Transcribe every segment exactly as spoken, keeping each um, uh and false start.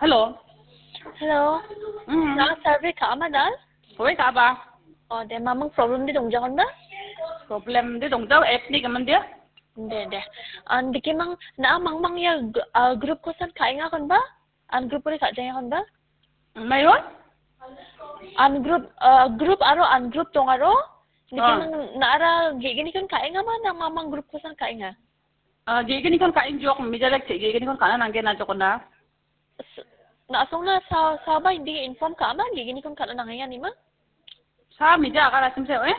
Hello. Hello. Mm. Na survey ka·a ma dal? Hoi ka·a ba. Oh, de mamang problem de dongjagon ba? Problem de dongjao, app ni gaman de. De, de. An dikimang na mamang ya g-, ah, group kosan ka·enga kon ba? An group ore ka·jaenga kon ba? Mayo? An group, ah, group aro an group dongaro. Ah. Dikimang na ara ge·gni kon ka·enga ma na mamang group kosan ka·enga? Ah, ge·gni kon ka·engjok, mijalek che ge·gni kon ka·na nanggen ajok ona. S-, na·songna sa-, saba indi inform ka·ama, ge·gni kon ka·na nangenga nima? Sa mija agar asim se, eh?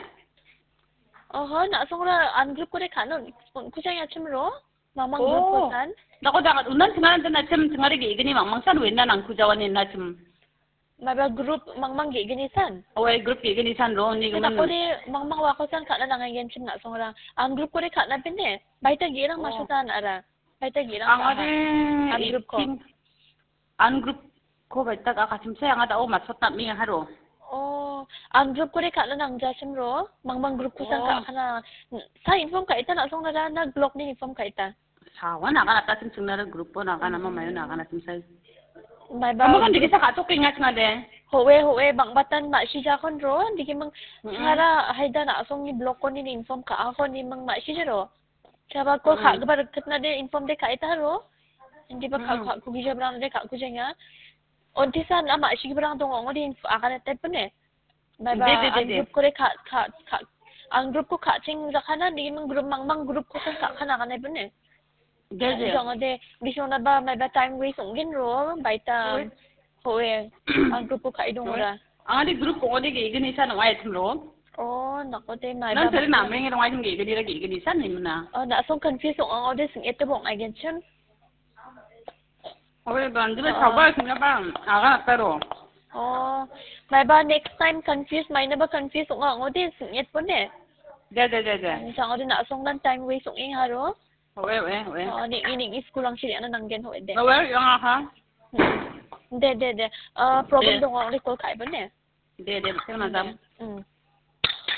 Oho, na·songra an group kore ka·no, kuchang achim ro, mamang group Oh. kosan. Dako jangan, unan singaran dan achim singari ge·gni mamang san wena nangku jawan ina achim. Maba group mangmang ge·gni san? Oe, group ge·gni san ro, ni Te gumen. Dakode mangmang wako san ka·na nangengen chim na·songra. An group kore ka·na pine, baita ge·rang Oh. masotan ara. Baita ge·rang Ang ka-, ade an group ko. eighteen, an group ko baita ka kasim se, ang ada o masot na mi haro. Oh, an group kore ka·na nangja chim ro, mangmang group kosan Oh. ka·na. Sa inform ka·ita na·songra na block ni inform ka·ita. Sawan akan atas sing singnar group pun akan ama mayo akan atas sai. Maiba Kamu kan dikisa katuk ingat ngade. Howe, howe, bang batan ma si jakon ro, dikimang Mm-mm. singara haida na song ni block kon ni inform ka akon ni mang ma si jero. Chaba ko Mm. ka gbar ketna de inform de ka ita ro. Indi ba ka Mm. ka ku gija brang de ka ku jenga. Onti san ama si brang dong ong de info akan ete pune. Maiba De, de, de, ang de. group kore ka, ka, ka, ang group ko ka ching jakana, dikimang group mangmang group ko san ka kana kana pune. De, de. Jong de, bisong na ba, maiba time waste ong gin ro, baita. Oi. Howe, ang group ko ka idong Oi. ra. Ang adi group ko adi ge gini san ong ai thum ro. Oh, nako de maiba. Nan tadi nameng ong ai thum ge gini ra ge gini san ni mana. Oh, na song confuse ong, ong de sing ete bong ai gen chun. Oke, banjir Ah. sabar sini apa? Agak apa ro? Oh, maiba next time confuse, maina ba confuse ong ong de sing et pun de. De, de, de, de. Jang ode na song dan time waste ong ing haro. Oke, oke, oke. Oh, ni ini ni school ang siri ana nanggen ho de. Oke, yang aha. Hmm. De, de, de. Ah, problem De. dong ong de call kai pun de. De, de, betul, madam. Hmm.